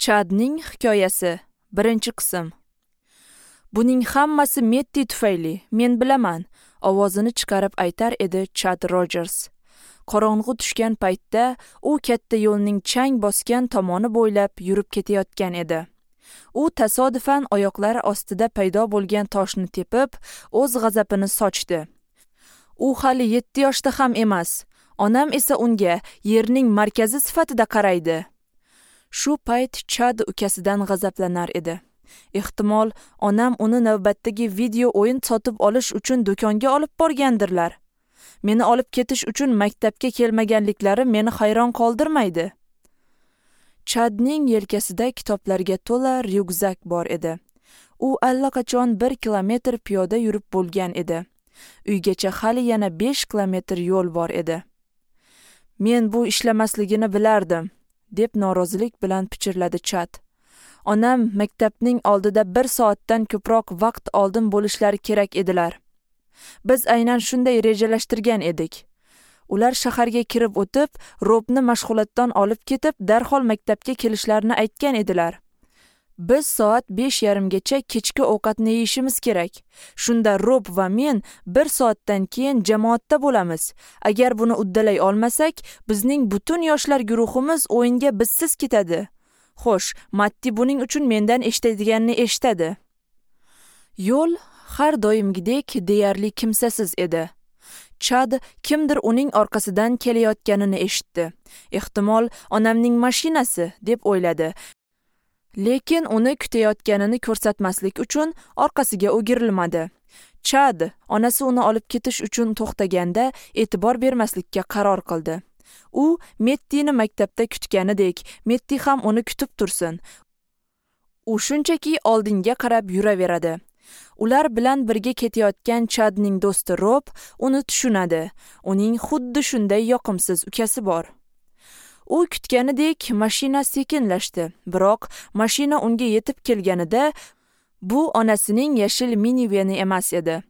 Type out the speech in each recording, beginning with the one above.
Chadning hikoyasi, 1-qism. Buning hammasi Metti tufayli, men bilaman, ovozini chiqarib aytar edi Chad Rogers. Qorong'u tushgan paytda u katta yo'lning chang bosgan tomoni bo'ylab yurib ketayotgan edi. U tasodifan oyoqlari ostida paydo bo'lgan toshni tepib, o'z g'azabini sochdi. U hali 7 yoshda ham emas. Onam esa unga yerning markazi sifatida qaraydi. Shu payt Chad ukasidan g'azablanar edi. Ehtimol, onam uni navbatdagi video o'yin sotib olish uchun do'konga olib borgandirlar. Meni olib ketish uchun maktabga kelmaganliklari meni hayron qoldirmaydi. Chadning yelkasida kitoblarga to'la ryukzak bor edi. U allaqachon 1 kilometr piyoda yurib bo'lgan edi. Uygacha hali yana 5 kilometr yo'l bor edi. Men bu ishlamasligini bilardim, deb norozilik bilan pichirladi Chad. Onam maktabning oldida 1 soatdan ko'proq vaqt oldin bo'lishlari kerak edilar. Biz aynan shunday rejalashtirgan edik. Ular shaharga kirib o'tib, Robni mashg'ulotdan olib ketib, darhol maktabga kelishlarini aytgan edilar. Biz soat 5:30gacha kechki ovqatni yeyishimiz kerak. Shunda Rob va men 1 soatdan keyin jamoatda bo'lamiz. Agar buni uddalay olmasak, bizning butun yoshlar guruhimiz o'yinga bizsiz ketadi. Xo'sh, Matti buning uchun mendan eshitadiganini eshitadi. Yo'l har doimgidek deyarli kimsasiz edi. Chad kimdir uning orqasidan kelayotganini eshitdi. Ehtimol, onamning mashinasi deb o'yladi. Lekin uni kutayotganini ko'rsatmaslik uchun orqasiga o'girilmadi. Chad onasi uni olib ketish uchun to'xtaganda e'tibor bermaslikka qaror qildi. U Mettini maktabda kutganidek, Metti ham uni kutib tursin. U shunchaki oldinga qarab yuraveradi. Ular bilan birga ketayotgan Chadning do'sti Rob uni tushunadi. Uning xuddi shunday yoqimsiz ukasi bor. U kutganidek mashina sekinlashdi, biroq mashina unga yetib kelganida bu onasining yashil miniveni emas edi.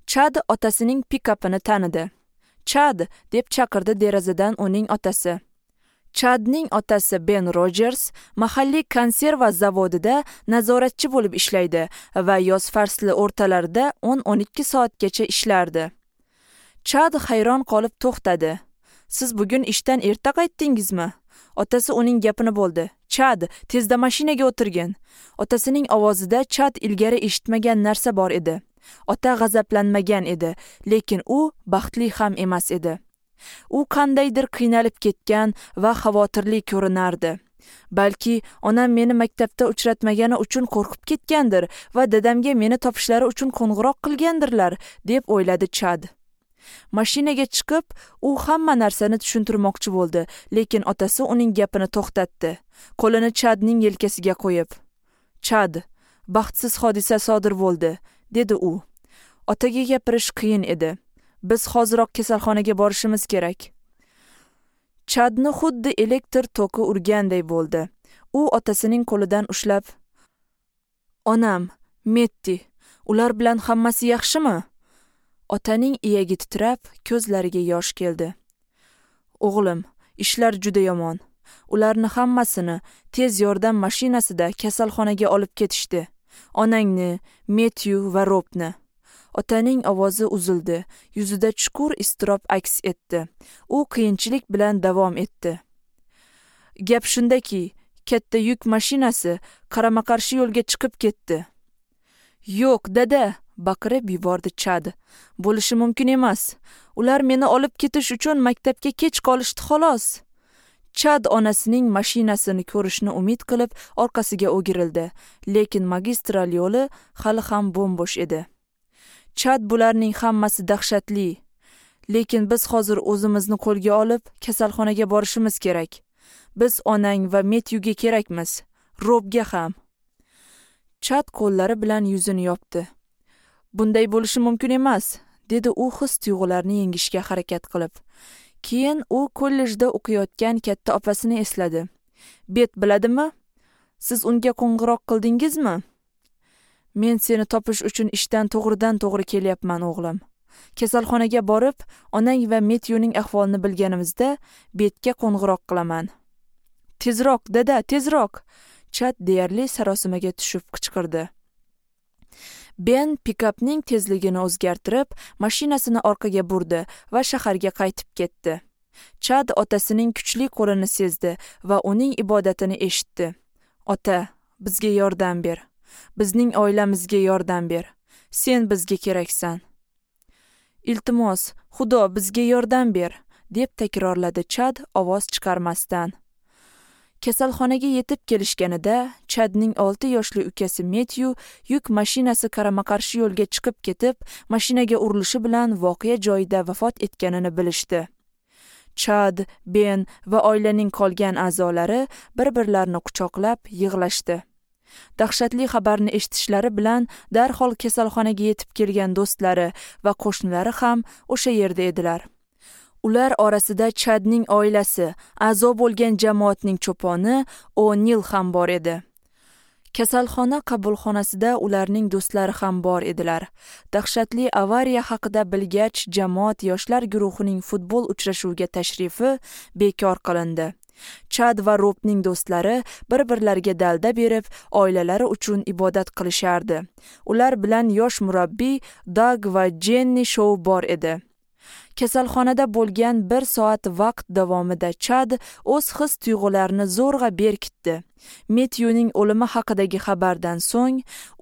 Chad otasining pikapini tanidi. Chad, deb chaqirdi derazadan uning otasi. Chadning otasi Ben Rogers mahalliy konserva zavodida nazoratchi bo'lib ishlaydi va yoz fasli o'rtalarida 10-12 soatgacha ishlardi. Chad hayron qolib to'xtadi. Siz bugun ishdan erta qaytdingizmi? Otasi uning gapini bo'ldi. Chad, tezda mashinaga o'tirgin. Otasining ovozida Chad ilgari eshitmagan narsa bor edi. Ota g'azablanmagan edi, lekin u baxtli ham emas edi. U qandaydir qiynalib ketgan va xavotirli ko'rinardi. Balki onam meni maktabda uchratmagani uchun qo'rqib ketgandir va dadamga meni topishlari uchun qo'ng'iroq qilgandirlar, deb o'yladi Chad. Mashinaga chiqib, u hamma narsani tushuntirmoqchi bo'ldi, lekin otasi uning gapini to'xtatdi. Qo'lini Chadning yelkasiga qo'yib, "Chad, baxtsiz hodisa sodir bo'ldi", dedi u. Otaga gapirish qiyin edi. Biz hoziroq kasalxonaga borishimiz kerak. Chadni xuddi elektr toki urganday bo'ldi. U otasining qo'lidan ushlab, "Onam, Metti, ular bilan hammasi yaxshimi?" Otaning iyagi titrab, ko'zlariga yosh keldi. "O'g'lim, ishlar juda yomon. Ularni hammasini tez yordam mashinasida kasalxonaga olib ketishdi. Onangni, Metyu va Robni." Otaning ovozi uzildi, yuzida chuqur iztirob aks etdi. U qiyinchilik bilan davom etdi. Gap shundaki, katta yuk mashinasi qarama-qarshi yo'lga chiqib ketdi. "Yo'q, dada!" baqirib yubordi Chad. "Bo'lishi mumkin emas. Ular meni olib ketish uchun maktabga kech qolishdi xolos." Chad onasining mashinasini ko'rishni umid qilib orqasiga o'girildi, lekin magistral yo'li hali ham bo'm-bo'sh edi. Chad, bularning hammasi dahshatli. Lekin biz hozir o'zimizni qo'lga olib, kasalxonaga borishimiz kerak. Biz onang va Metyuga kerakmiz, Robga ham. Chad qo'llari bilan yuzini yopdi. Bunday bo'lishi mumkin emas, dedi u his-tuyg'ularni yengishga harakat qilib. Keyin u kollejda o'qiyotgan katta opasini esladi. Bet biladimi? Siz unga qo'ng'iroq qildingizmi? Men seni topish uchun ishdan to'g'ridan-to'g'ri kelyapman, o'g'lim. Kasalxonaga borib, onang va Metyuning ahvolini bilganimizda Betga qo'ng'iroq qilaman. Tezroq, dada, tezroq. Chad deyarli sarosimaga tushib qichqirdi. Ben pikapning tezligini o'zgartirib, mashinasini orqaga burdi va shaharga qaytib ketdi. Chad otasining kuchli qo'lini sezdi va uning ibodatini eshitdi. Ota, bizga yordam ber. Bizning oilamizga yordam ber. Sen bizga keraksan. Iltimos, Xudo bizga yordam ber, deb takrorladi Chad ovoz chiqarmasdan. Kasalxonaga yetib kelishganida Chadning 6 yoshli ukasi Metyu yuk mashinasi qarama-qarshi yo'lga chiqib ketib, mashinaga urilishi bilan voqea joyida vafot etganini bilishdi. Chad, Ben va oilaning qolgan a'zolari bir-birlarini quchoqlab yig'lashdi. Dahshatli xabarni eshitishlari bilan darhol kasalxonaga yetib kelgan do'stlari va qo'shnilari ham o'sha yerda edilar. Ular orasida Chadning oilasi, a'zo bo'lgan jamoatning cho'poni O'Nil ham bor edi. Kasalxona qabulxonasida ularning do'stlari ham bor edilar. Dahshatli avariya haqida bilgach, jamoat yoshlar guruhining futbol uchrashuviga tashrifi bekor qilindi. Chad va Robning do'stlari bir-birlariga dalda berib, oilalari uchun ibodat qilishardi. Ular bilan yosh murabbiy Dag va Jenni Shou bor edi. Kasalxonada bo'lgan 1 soat vaqt davomida Chad o'z his-tuyg'ularini zo'rg'a berkitdi. Metyuning o'limi haqidagi xabardan so'ng,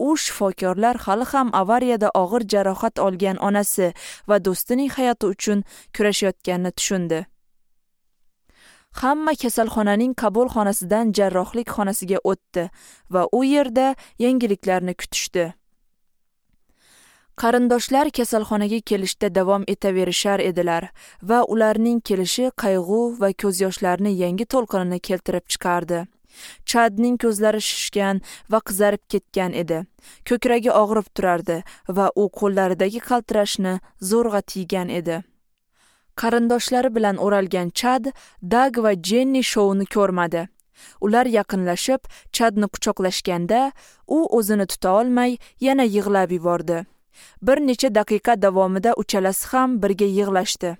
u shifokorlar hali ham avariyada og'ir jarohat olgan onasi va do'stining hayoti uchun kurashayotganini tushundi. Hamma kasalxonaning qabul xonasidan jarrohlik xonasiga o'tdi va u yerda yangiliklarni kutishdi. Qarindoshlar kasalxonaga kelishda davom etaverishar edilar va ularning kelishi qayg'u va ko'z yoshlarini yangi to'lqinini keltirib chiqardi. Chadning ko'zlari shishgan va qizarib ketgan edi. Ko'kragi og'rib turardi va u qo'llaridagi qaltirashni zo'rg'a tiygan edi. Qarindoshlari bilan o'ralgan Chad, Dag va Jenni Shouni ko'rmadi. Ular yaqinlashib, Chadni quchoqlashganda, u o'zini tuta olmay yana yig'lab yubordi. Bir necha daqiqa davomida uchalasi ham birga yig'lashdi.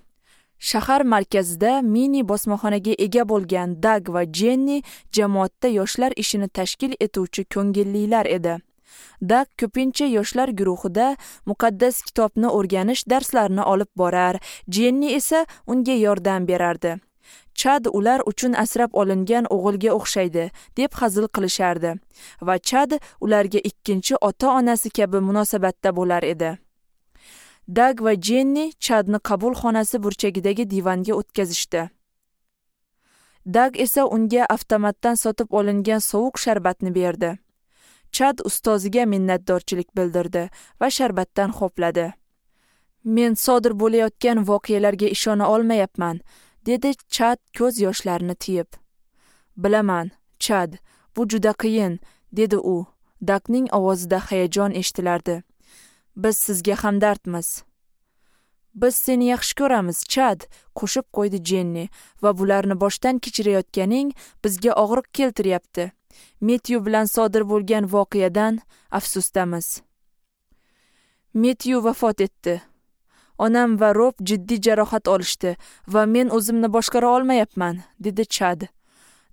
Shahar markazida mini bosmaxonaga ega bo'lgan Dag va Jenni jamoatda yoshlar ishini tashkil etuvchi ko'ngillilar edi. Dag ko'pincha yoshlar guruhida muqaddas kitobni o'rganish darslarini olib borar, Jenni esa unga yordam berardi. Chad ular uchun asrab olingan o'g'ilga o'xshaydi, deb hazil qilishardi va Chad ularga ikkinchi ota-onasi kabi munosabatda bo'lar edi. Dag va Jenni Chadni qabul xonasi burchagidagi divanga o'tkazishdi. Dag esa unga avtomatdan sotib olingan sovuq sharbatni berdi. Chad ustoziga minnatdorchilik bildirdi va sharbatdan ho'pladi. Men sodir bo'layotgan voqealarga ishona olmayapman, dedi Chad ko'z yoshlarini tiyib. Bilaman, Chad, bu juda qiyin, dedi u. Dagning ovozida hayajon eshitilardi. Biz sizga hamdardmiz. Biz seni yaxshi ko'ramiz, Chad, qo'shib qo'ydi Jenni, va bularni boshdan kechirayotganing bizga og'riq keltiryapti. Metyu bilan sodir bo'lgan voqeadan afsusdamiz. Metyu vafot etdi. Onam va Rob jiddiy jarohat olishdi va men o'zimni boshqara olmayapman, dedi Chad.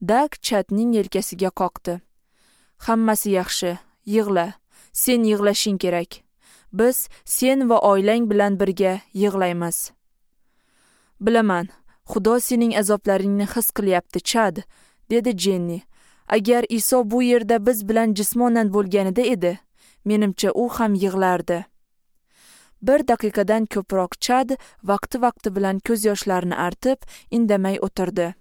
Dag Chadning yelkasiga qoqdi. Hammasi yaxshi, yig'la. Sen yig'lashing kerak. Biz sen va oilang bilan birga yig'laymiz. Bilaman, Xudo sening azoblaringni his qilyapti, Chad, dedi Jenni. Agar Iso bu yerda biz bilan jismonan bo'lganida edi, menimcha u ham yig'lardi. Bir daqiqadan ko'proq Chad vaqti-vaqti bilan ko'z yoshlarini artib, indamay o'tirdi.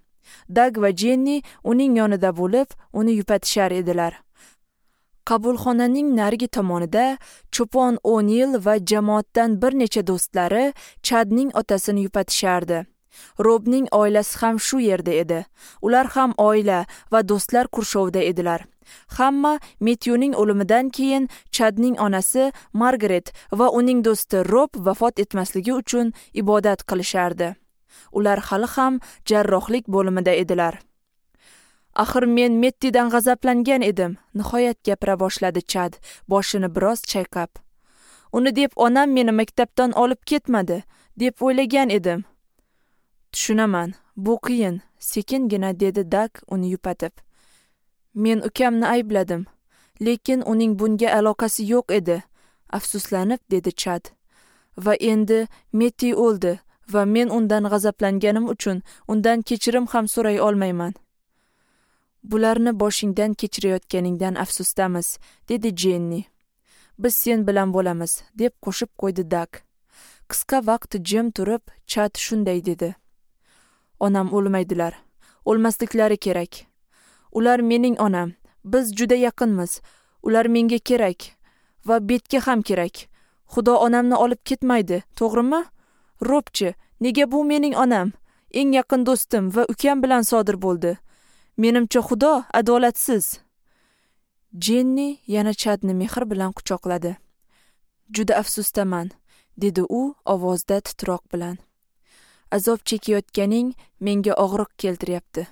Dag va Jenni uning yonida bo'lib, uni yupatishar edilar. Qabulxonaning narigi tomonida cho'pon O'Nil va jamoatdan bir necha do'stlari Chadning otasini yupatishardi. Robning oilasi ham shu yerda edi. Ular ham oila va do'stlar qurshovida edilar. Hamma Metyuning o'limidan keyin Chadning onasi Margaret va uning do'sti Rob vafot etmasligi uchun ibodat qilishardi. Ular hali ham jarrohlik bo'limida edilar. Axir men Mettidan g'azablangan edim, nihoyat gapira boshladi Chad, boshini biroz chayqab. Uni deb onam meni maktabdan olib ketmadi, deb o'ylagan edim. Tushunaman, bu qiyin, sekingina dedi Dag uni yupatib. Men ukamni aybladim, lekin uning bunga aloqasi yo'q edi, afsuslanib dedi Chad. Va endi Metti o'ldi va men undan g'azablanganim uchun undan kechirim ham so'ray olmayman. Bularni boshingdan kechirayotganingdan afsusdamiz, dedi Jenni. Biz sen bilan bo'lamiz, deb qo'shib qo'ydi Dak. Qisqa vaqt jim turib, Chad shunday dedi. Onam o'lmaydilar. O'lmasliklari kerak. Ular mening onam. Biz juda yaqinmiz. Ular menga kerak va Betga ham kerak. Xudo onamni olib ketmaydi, to'g'rimi? Robchi, nega bu mening onam, eng yaqin do'stim va ukam bilan sodir bo'ldi? Menimcha Xudo adolatsiz. Jenni yana Chadni mehr bilan quchoqladi. Juda afsusdaman, dedi u ovozda titroq bilan. Azob chekayotganing menga og'riq keltiryapti.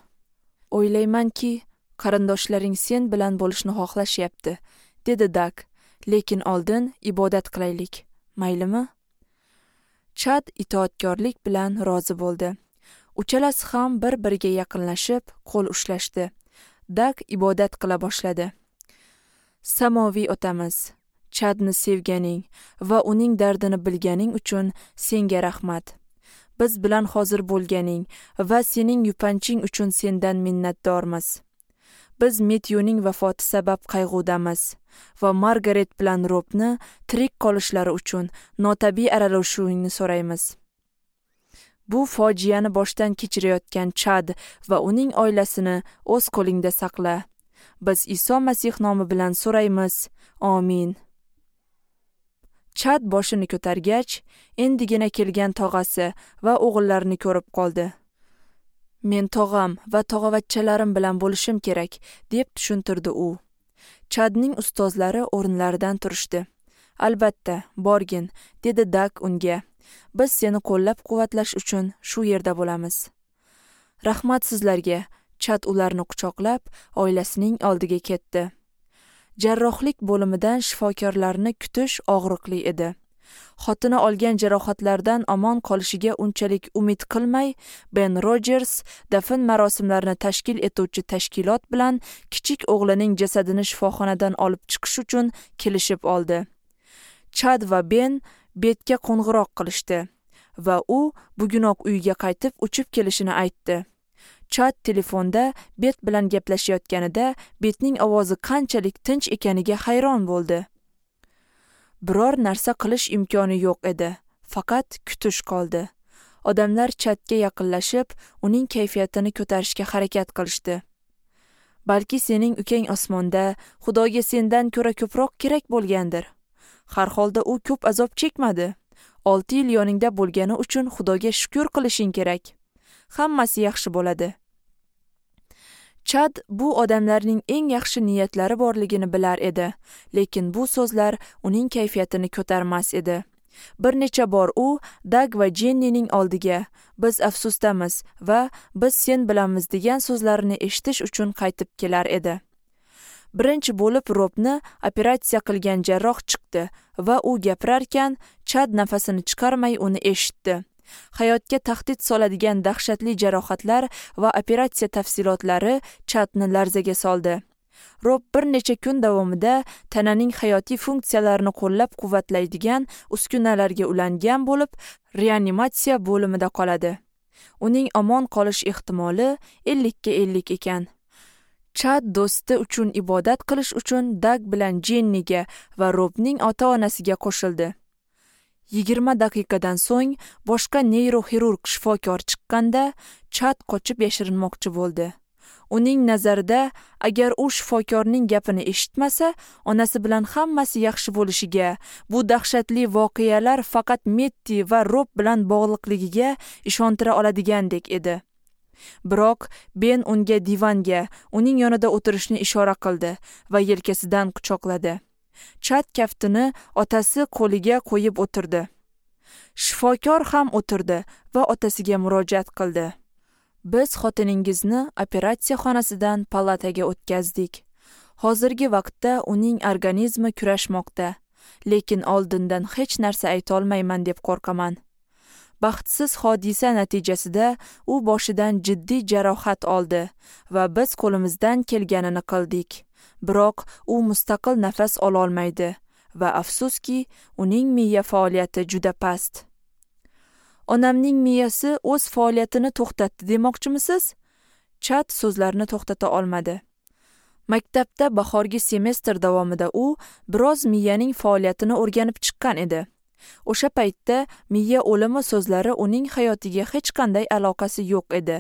O'ylaymanki, qarindoshlaring sen bilan bo'lishni xohlashyapti, dedi Dak. Lekin oldin ibodat qilaylik, maylimi? Chad itoatkorlik bilan rozi bo'ldi. Uchalasi ham bir-biriga yaqinlashib, qo'l ushlashdi. Dak ibodat qila boshladi. Samoviy otamiz, Chadni sevganing va uning dardini bilganing uchun senga rahmat. Biz bilan hozir bo'lganing va sening yupanching uchun sendan minnatdormiz. Biz Metyuning vafoti sabab qayg'udamiz va Margaret bilan Robni tirik qolishlari uchun notabiiy aralashuvingni so'raymiz. Bu fojiani boshdan kechirayotgan Chad va uning oilasini o'z qo'lingda saqla. Biz Iso Masih nomi bilan so'raymiz. Amin. Chad boshini ko'targach, endigina kelgan tog'asi va o'g'illarini ko'rib qoldi. Men tog'am va tog'avachchalarim bilan bo'lishim kerak, deb tushuntirdi u. Chadning ustozlari o'rinlaridan turishdi. Albatta, borgin, dedi Dak unga. Biz seni qo'llab-quvvatlash uchun shu yerda bo'lamiz. Rahmat sizlarga. Chad ularni quchoqlab, oilasining oldiga ketdi. Jarrohlik bo'limidan shifokorlarni kutish og'riqli edi. Xotini olgan jarohatlardan omon qolishiga unchalik umid qilmay, Ben Rogers dafn marosimlarini tashkil etuvchi tashkilot bilan kichik o'g'lining jasadini shifoxonadan olib chiqish uchun kelishib oldi. Chad va Ben Betga qo'ng'iroq qilishdi va u bugunoq uyiga qaytib uchib kelishini aytdi. Chad telefonda Bet bilan gaplashayotganida Betning ovozi qanchalik tinch ekaniga hayron bo'ldi. Biror narsa qilish imkoni yo'q edi, faqat kutish qoldi. Odamlar Chadga yaqinlashib, uning kayfiyatini ko'tarishga harakat qilishdi. Balki sening ukang osmonda, Xudoga sendan ko'ra ko'proq kerak bo'lgandir. Har holda u ko'p azob chekmadi. 6 yil yoningda bo'lgani uchun Xudoga shukr qilishing kerak. Hammasi yaxshi bo'ladi. Chad bu odamlarning eng yaxshi niyatlari borligini bilar edi, lekin bu so'zlar uning kayfiyatini ko'tarmas edi. Bir necha bor u Dag va Jennining oldiga "Biz afsusdamiz va biz sen bilanmiz" degan so'zlarini eshitish uchun qaytib kelar edi. Birinchi bo'lib Robni operatsiya qilgan jarroh chiqdi va u gapirarkan Chad nafasini chiqarmay uni eshitdi. Hayotga tahdid soladigan dahshatli jarohatlar va operatsiya tafsilotlari Chadni larzaga soldi. Rob bir necha kun davomida tananing hayotiy funksiyalarini qo'llab-quvvatlaydigan uskunalarga ulangan bo'lib, reanimatsiya bo'limida qoladi. Uning omon qolish ehtimoli 50-50 ekan. Chad do'sti uchun ibodat qilish uchun Dag bilan Jenniga va Robning ota-onasiga qo'shildi. 20 daqiqadan so'ng boshqa neyroxirurg shifokor chiqqanda Chad qochib yashirinmoqchi bo'ldi. Uning nazarida, agar u shifokorning gapini eshitmasa, onasi bilan hammasi yaxshi bo'lishiga, bu dahshatli voqealar faqat Metti va Rob bilan bog'liqligiga ishontira oladigandek edi. Biroq Ben unga divanga, uning yonida o'tirishni ishora qildi va yelkasidan quchoqladi. Chad kaftini otasi qo'liga qo'yib o'tirdi. Shifokor ham o'tirdi va otasiga murojaat qildi. Biz xotiningizni operatsiya xonasidan palataga o'tkazdik. Hozirgi vaqtda uning organizmi kurashmoqda, lekin oldindan hech narsa ayta olmayman deb qo'rqaman. Baxtsiz hodisa natijasida u boshidan jiddiy jarohat oldi va biz qo'limizdan kelganini qildik. Biroq u mustaqil nafas ololmaydi va afsuski, uning miya faoliyati juda past. Onamning miyasi o'z faoliyatini to'xtatdi demoqchimisiz? Chad so'zlarini to'xtata olmadi. Maktabda bahorgi semestr davomida u biroz miyaning faoliyatini o'rganib chiqqan edi. O'sha paytda miya o'limi so'zlari uning hayotiga hech qanday aloqasi yo'q edi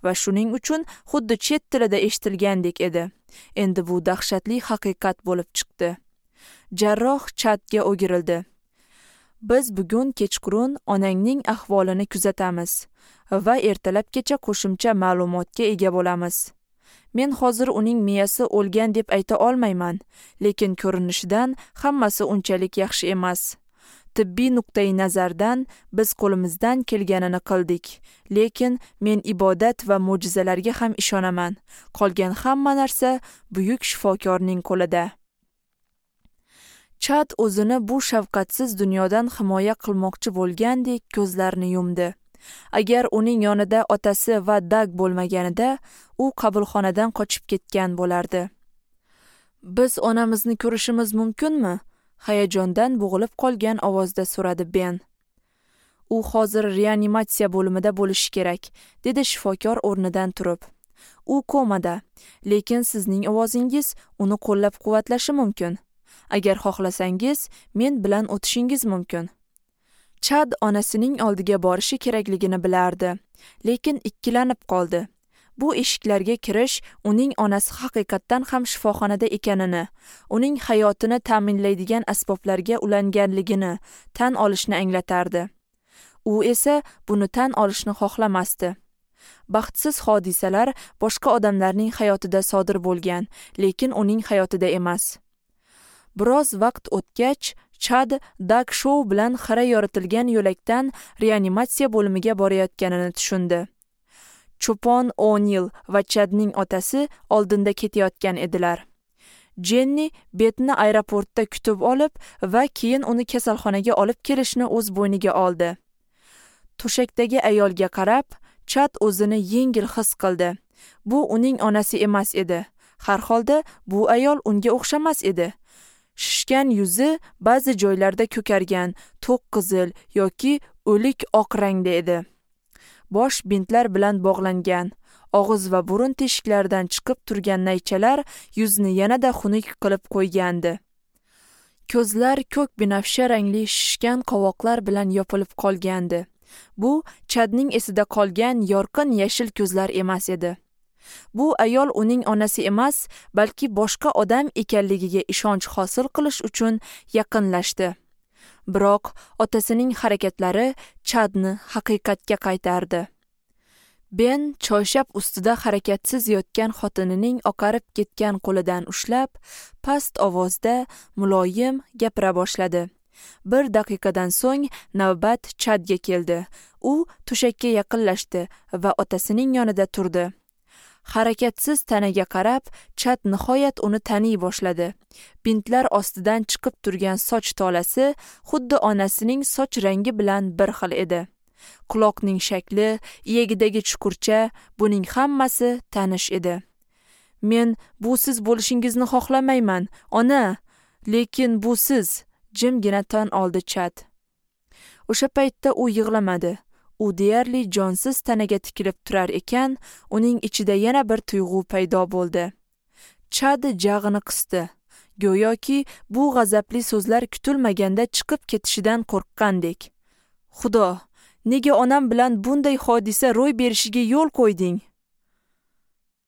va shuning uchun xuddi chet tilida eshitilgandek edi. Endi bu dahshatli haqiqat bo'lib chiqdi. Jarroh Chadga o'girildi. Biz bugun kechqurun onangning ahvolini kuzatamiz va ertalabgacha qo'shimcha ma'lumotga ega bo'lamiz. Men hozir uning miyasi o'lgan deb ayta olmayman, lekin ko'rinishidan hammasi unchalik yaxshi emas. Tibbiy nuqtai nazardan biz qo'limizdan kelganini qildik, lekin men ibodat va mo'jizalarga ham ishonaman. Qolgan hamma narsa buyuk shifokorning qo'lida. Chad o'zini bu shafqatsiz dunyodan himoya qilmoqchi bo'lgandek ko'zlarini yumdi. Agar uning yonida otasi va Dag bo'lmaganida, u qabulxonadan qochib ketgan bo'lardi. Biz onamizni ko'rishimiz mumkinmi? Hayajondan bo'g'ilib qolgan ovozda so'radi Ben. U hozir reanimatsiya bo'limida bo'lishi kerak, dedi shifokor o'rnidan turib. U komada, lekin sizning ovozingiz uni qo'llab-quvvatlashi mumkin. Agar xohlasangiz, men bilan o'tishingiz mumkin. Chad onasining oldiga borishi kerakligini bilardi, lekin ikkilanib qoldi. Bu eshiklarga kirish uning onasi haqiqatdan ham shifoxonada ekanini, uning hayotini ta'minlaydigan asboblarga ulanganligini tan olishni anglatardi. U esa buni tan olishni xohlamasdi. Baxtsiz hodisalar boshqa odamlarning hayotida sodir bo'lgan, lekin uning hayotida emas. Biroz vaqt o'tgach, Chad Dag Shou bilan xira yoritilgan yo'lakdan reanimatsiya bo'limiga borayotganini tushundi. Cho'pon O'Neill va Chadning otasi oldinda ketayotgan edilar. Jenni Betni aeroportda kutib olib va keyin uni kasalxonaga olib kelishni o'z bo'yniga oldi. To'shakdagi ayolga qarab, Chad o'zini yengil his qildi. Bu uning onasi emas edi. Har holda bu ayol unga o'xshamas edi. Shishgan yuzi ba'zi joylarda ko'kargan, to'q qizil yoki o'lik oq rangda edi. Bosh bintlar bilan bog'langan, og'iz va burun teshiklaridan chiqib turgan naychalar yuzni yanada xunuk qilib qo'ygandi. Ko'zlar ko'k binafsha rangli shishgan qovoqlar bilan yopilib qolgandi. Bu Chadning esida qolgan yorqin yashil ko'zlar emas edi. Bu ayol uning onasi emas, balki boshqa odam ekanligiga ishonch hosil qilish uchun yaqinlashdi. Biroq otasining harakatlari Chadni haqiqatga qaytardi. Ben choyshab ustida harakatsiz yotgan xotinining oqarib ketgan qo'lidan ushlab, past ovozda muloyim gapira boshladi. Bir daqiqadan so'ng navbat Chadga keldi. U to'shakka yaqinlashdi va otasining yonida turdi. Harakatsiz tanaga qarab, Chad nihoyat uni taniy boshladi. Bintlar ostidan chiqib turgan soch tolasi xuddi onasining soch rangi bilan bir xil edi. Quloqning shakli, iyagidagi chuqurcha, buning hammasi tanish edi. Men bu siz bo'lishingizni xohlamayman, ona, lekin bu siz, jimgina tan oldi Chad. O'sha paytda u yig'lamadi. U deyarli jonsiz tanaga tikilib turar ekan, uning ichida yana bir tuyg'u paydo bo'ldi. Chad jag'ini qisdi. Go'yoki bu g'azabli so'zlar kutilmaganda chiqib ketishidan qo'rqqandek. Xudo, nega onam bilan bunday hodisa ro'y berishiga yo'l qo'yding?